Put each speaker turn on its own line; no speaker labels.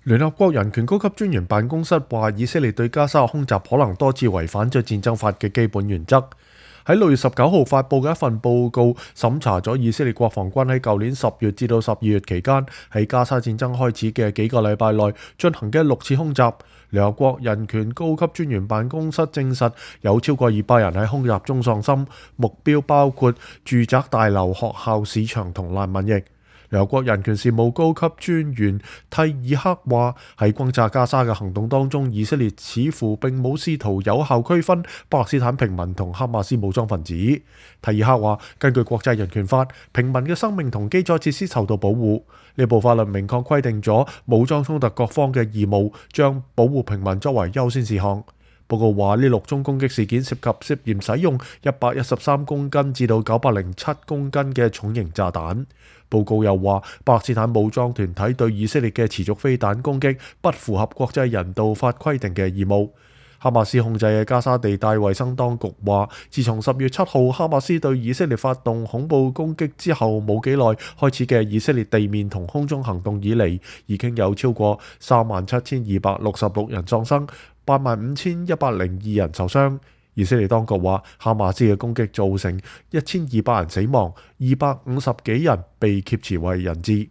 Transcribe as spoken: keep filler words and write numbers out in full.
聯合國人權高級專員辦公室話，以色列對加沙空襲可能多次違反咗戰爭法嘅基本原則。喺六月十九號發布嘅一份報告審查咗以色列國防軍喺舊年十月至到十二月期間喺加沙戰爭開始嘅幾個禮拜內進行嘅六次空襲。聯合國人權高級專員辦公室證實有超過二百人喺空襲中喪生，目標包括住宅大樓、學校、市場同難民營。聯合國人權事務高級專員蒂爾克話，喺轟炸加沙嘅行動當中，以色列似乎並冇試圖有效區分巴勒斯坦平民同哈馬斯武裝分子。蒂爾克話，根據國際人權法，平民嘅生命同基礎設施受到保護。呢部法律明確規定咗武裝衝突各方嘅義務，將保護平民作為優先事項。報告話，呢六宗攻擊事件涉及涉嫌使用一百一十三公斤至到九百零七公斤嘅重型炸彈。報告又話，巴勒斯坦武裝團體對以色列嘅持續飛彈攻擊不符合國際人道法規定嘅義務。哈馬斯控制嘅加沙地帶衛生當局話，自從十月七號哈馬斯對以色列發動恐怖攻擊之後冇幾耐開始嘅以色列地面同空中行動以嚟，已經有超過三萬七千二百六十六人喪生，八萬五千一百零二人受傷。以色列當局話，哈馬斯嘅攻擊造成一千二百人死亡，二百五十幾人被挾持為人質。